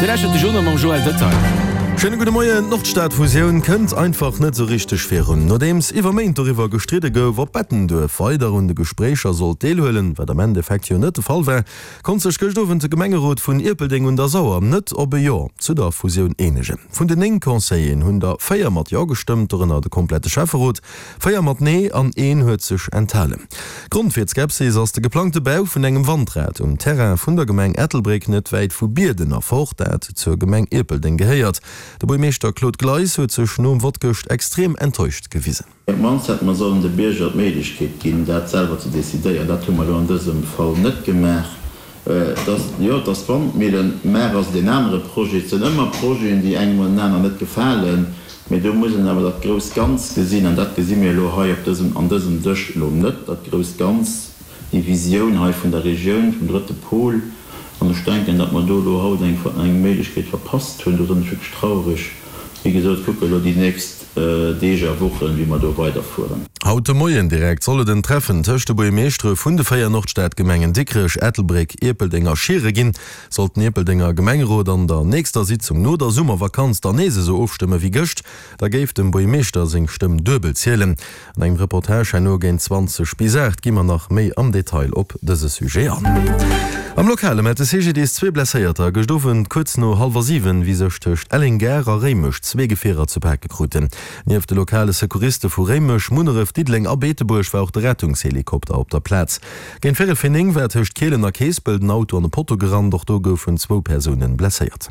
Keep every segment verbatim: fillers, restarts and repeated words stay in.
Dir lauschtert de Journal mam Joël Detail. Schéine gudde Moien. D'Nordstad-Fusioun kënnt einfach net esou richteg virun. Nodeems iwwer Méint doriwwer gestridde gouf, ob Bettenduerf weider un de Gespréicher sollt deelhuelen, wat am Endeffekt jo net de Fall war, konnt sech gëscht Owend de Gemengerot vun Ierpeldeng un der Sauer net op e Jo zu der Fusioun eenegen. Vun den néng Conseilleren hunn der véier mat Jo gestëmmt, dorënner de komplette Schäfferot, véier mat Nee an een huet sech enthalen. Grond fir d'Skepsis ass de geplangte Bau vun engem Wandrad um Terrain vun der Gemeng Ettelbréck, net wäit vu Bierden erfort, dat zur Gemeng Ierpeldeng gehéiert. De Buergmeeschter Claude Gleis huet sech nom Vott gëscht extrem enttäuscht gewisen. Op d'mannst hätte mer sollen de Bierger d'Méiglechkeet ginn, dat selwer ze decidéieren. Dat hu mer elo an dësem Fall net gemaach. Et ass, jo, et ass d'Wandmillen, mä et ass deen anere Projet. Et sinn ëmmer Projeten, déi engem oder den aneren net gefalen, mä do muss een awer dat grousst Ganz gesinn, an dat gesi mir elo hei op dësem, an dësem Dësch elo net, dat grousst Ganz. Déi Visioun hei vun der Regioun, vum drëtte Pol. An ech denken, datt mer do elo haut eng eng Méiglechkeet verpasst hunn. Do sinn ech wierklech traureg. Wéi gesot, kucke elo déi nächst Deeg a Wochen, wéi mer do weiderfueren. Haut de Moien direkt soll et en Treffen tëscht de Buergmeeschtere vun de véier Nordstadgemengen Dikrech, Ettelbréck, Ierpeldeng a Schiere ginn. Sollt den Ierpeldenger Gemengerot an der nächster Sitzung no der Summervakanz dann nees esou ofstëmme wéi gëscht, da géif dem Buergmeeschter seng Stëmm duebel zielen. An engem Reportage herno géint zwanzeg bis aacht gi mer nach méi am Detail op dëse Sujet an. Am Lokale mellt de C G D S zwee Blesséierter gëscht Owend kuerz no hallwer siwen, wéi sech tëscht Elleng-Gare a Réimech zwee Gefierer ze pake kruten. Nieft de lokale Secouriste vu Réimech, Munneref, Diddeleng a Beetebuerg war och de Rettungshelikopter op der Plaz. Géint véierel vir néng war tëscht Kielen a Keespel den Auto an e Potto gerannt, och do goufen zwou Persounen blesséiert.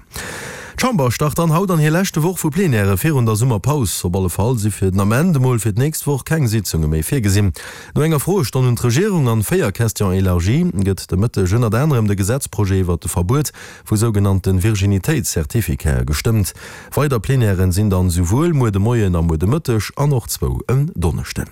D'Chamber start dann haut an hir leschte Woch vu Plenièrë virun der Summerpaus. Op alle Fall si fir den Ament emol fir d'nächst Woch keng Sitzunge méi virgesinn. No enger Froestonn un d'Regierung an véier Questions élargies gëtt de Mëtteg ënnert anerem de Gesetzprojet iwwert de Verbuet vu sougenannte Virginitéitscertificate gestëmmt. Weider Plenièren sinn dann souwuel muer de Moien a muer de Mëtteg an och zwou en Donneschden.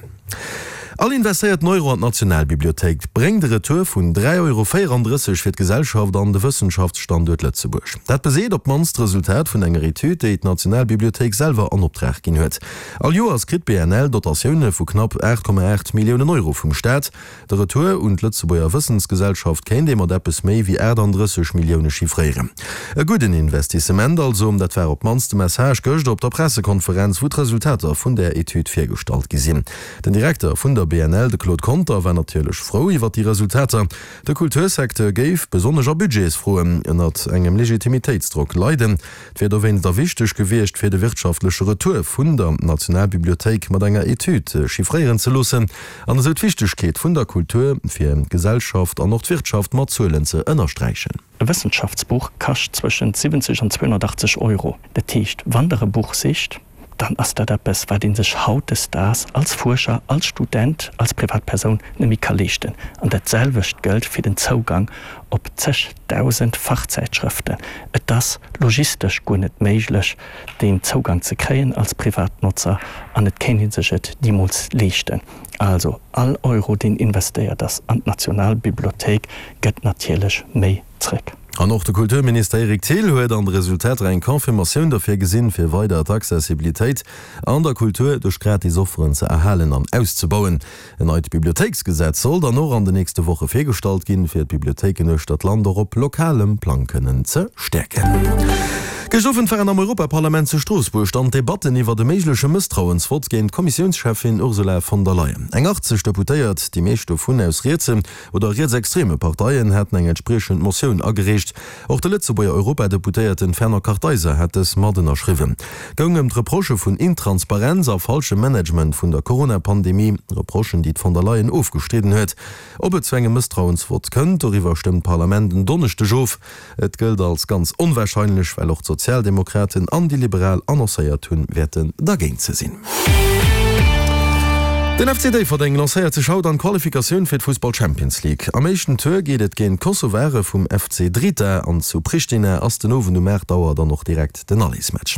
All investéierten Euro an d'Nationalbibliothéik bréngt e Retour vun dräi Euro véierandrësseg fir d'Gesellschaft an de Wëssenschaftsstanduert Lëtzebuerg. Dat beseet op d'mannst d'Resultat vun enger Etüd, déi d'Nationalbibliothéik selwer an Optrag ginn huet. All Joers kritt d'B N L Dotatioune vu knapp aacht Komma aacht Milliounen Euro vum Staat. De Retour un d'Lëtzebuerger Wëssensgesellschaft kéint ee mat eppes méi wéi aachtanddrësseg Millioune chiffréieren. E gudden Investissement also, dat war op d'mannst de Message gëscht op der Pressekonferenz, wou d'Resultater vun där Etüd virgestallt gi sinn. Den Direkter vun der B N L, de Claude Conter, war natierlech frou iwwer déi Resultater. De Kultursecteur géif, besonnesch a Budgetsfroen, ënnert engem Legitimitéitsdrock leiden. Et wier dowéinst da wichteg gewiescht, fir de wirtschaftleche Retour vun der Nationalbibliothéik mat enger Etüd chiffréieren ze loossen an esou d'Wichtegkeet vun der Kultur fir d'Gesellschaft an och d'Wirtschaft mat Zuelen ze ënnersträichen. E Wëssenschaftsbuch kascht zwëschen siwwenzeg an zweehunnertachtzeg Euro. Dat heescht, wann der e Buch sicht, dann ass dat eppes, wat een sech hautdesdaags als Fuerscher, als Student, als Privatpersoun net méi ka leeschten. An dat selwecht gëllt fir den Zougang op zegdausend Fachzeitschriften. Et ass logistesch guer net méiglech, den Zougang ze kréien als Privatnotzer an et kéint een sech et niemools leeschten. Also all Euro, deen investéiert ass an d'Nationalbibliothéik, gëtt natierlech méi zréck. An och de Kulturminister Eric Thill huet an de Resultater eng Confirmatioun derfir gesinn, fir weider d'Accessibilitéit an der Kultur duerch gratis Offeren ze erhalen an auszebauen. En neit Bibliothéiksgesetz soll dann och an de nächste Woche virgestallt ginn, fir d'Bibliothéiken uechter d'Land och op lokalem Plang kënnen ze stäerken. Gëscht Owend waren am Europaparlament zu Stroossbuerg dann d'Debatten iwwer e méigleche Mësstrauensvott géint d'Kommissiounscheffin Ursula von der Leyen. Eng achtzeg Deputéiert, déi meescht dovun aus rietse oder rietsextreme Parteien, haten eng entspriechend Motioun agereecht. Och de Lëtzebuerger Europadeputéierten Fernand Kartheiser hat dës mat ënnerschriwwen. Goung ëm d'Reprochë vun Intransparenz a falschem Management vun der Corona-Pandemie, Reprochen, déi d'Von der Leyen ofgestridden huet. Ob et zu engem Mësstrauensvott kënnt, doriwwer stëmmt d'Parlament en Donneschdeg of. Et gëllt als ganz onwahrscheinlech, well och d'Sozialdemokraten an déi Liberal annoncéiert hunn, wäerten dergéint ze sinn. Den F C Déifferdeng lancéiert sech haut an d'Qualifikatioun fir d'Fussball Champions League. Am éischten Tour geet et géint d'Kosovare vum F C Drita an zu Pristina ass den Owend um aacht Auer dann och direkt den Allesmatch.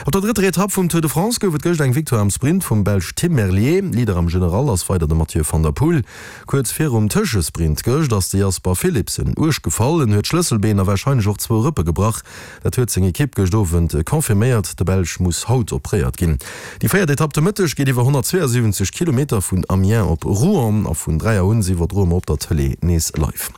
Op der drëtter Etapp vum Tour de France gouf et gëscht eng Victoire am Sprint vum Belsch Tim Merlier. Leader am General ass weider de Mathieu van der Poel. Kuerz virum Tëschesprint gëscht ass de Jasper Philipsen uerg gefall. En huet d'Schlësselbeen a warscheinlech och zwou Rëppe gebrach. Dat huet seng Ekipp gëscht Owend confirméiert. De Belsch muss haut opréiert ginn. Déi véiert Etapp de Mëtteg geet iwwer honnertzweeënsiwwenzeg Kilometer Kilometer vun Amiens op Rouen a vun dräi Auer un iwwerdroe mer op der Tëlee nees live.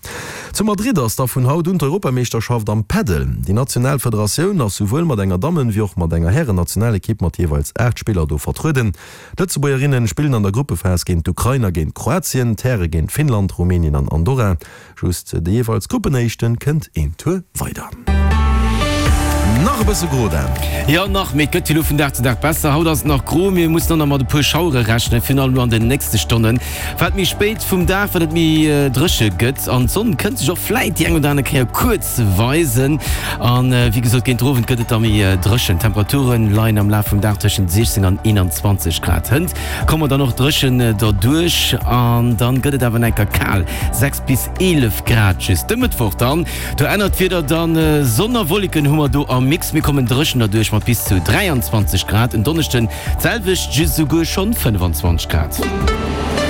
Zu Madrid ass da vun haut un d'Europameeschterschaft am Padel. Déi national Federatioun ass souwuel mat enger Dammen wéi och mat enger Hären-Nationalekipp mat jeeweils aacht Spiller do vertrueden. D'Lëtzebuergerinnen spillen an der Gruppephas géint d'Ukrain a géint Kroatien, d'Häre géint Finnland, Rumänien an Andorra. Just de jeeweils Gruppenéischten kënnt een Tour weider. Nach e bësse gro, Dan. Jo, nach, mee et gëtt jo elo vun Dag zu Dag besser. Haut ass et nach gro, mir mussen och nach mat e puer Schauere rechnen, virun allem elo an den nächste Stonnen. Wat méi spéit vum Dag, wat et méi dréche gëtt an d'Sonn kënnt sech och vläit déi eng oder aner Kéier kuerz weisen. An wéi gesot, géint den Owend gëtt et da méi dréchen. D'Temperature leien am Laf vum Dag tëschent siechzéng an eenanzwanzeg Grad. Hënt komme mer dann och dréchen derduerch an dann gëtt et awer nach enker kal, sechs bis eelef Grad just. De Mëttwoch dann, do ännert d'Wieder dann, Sonn a Wolleken hu mer do am Mix, mir kommen dréchen derduerch mat bis zu dräianzwanzeg Grad. En Donneschden d'selwecht, just esouguer schonn fënnfanzwanzeg Grad.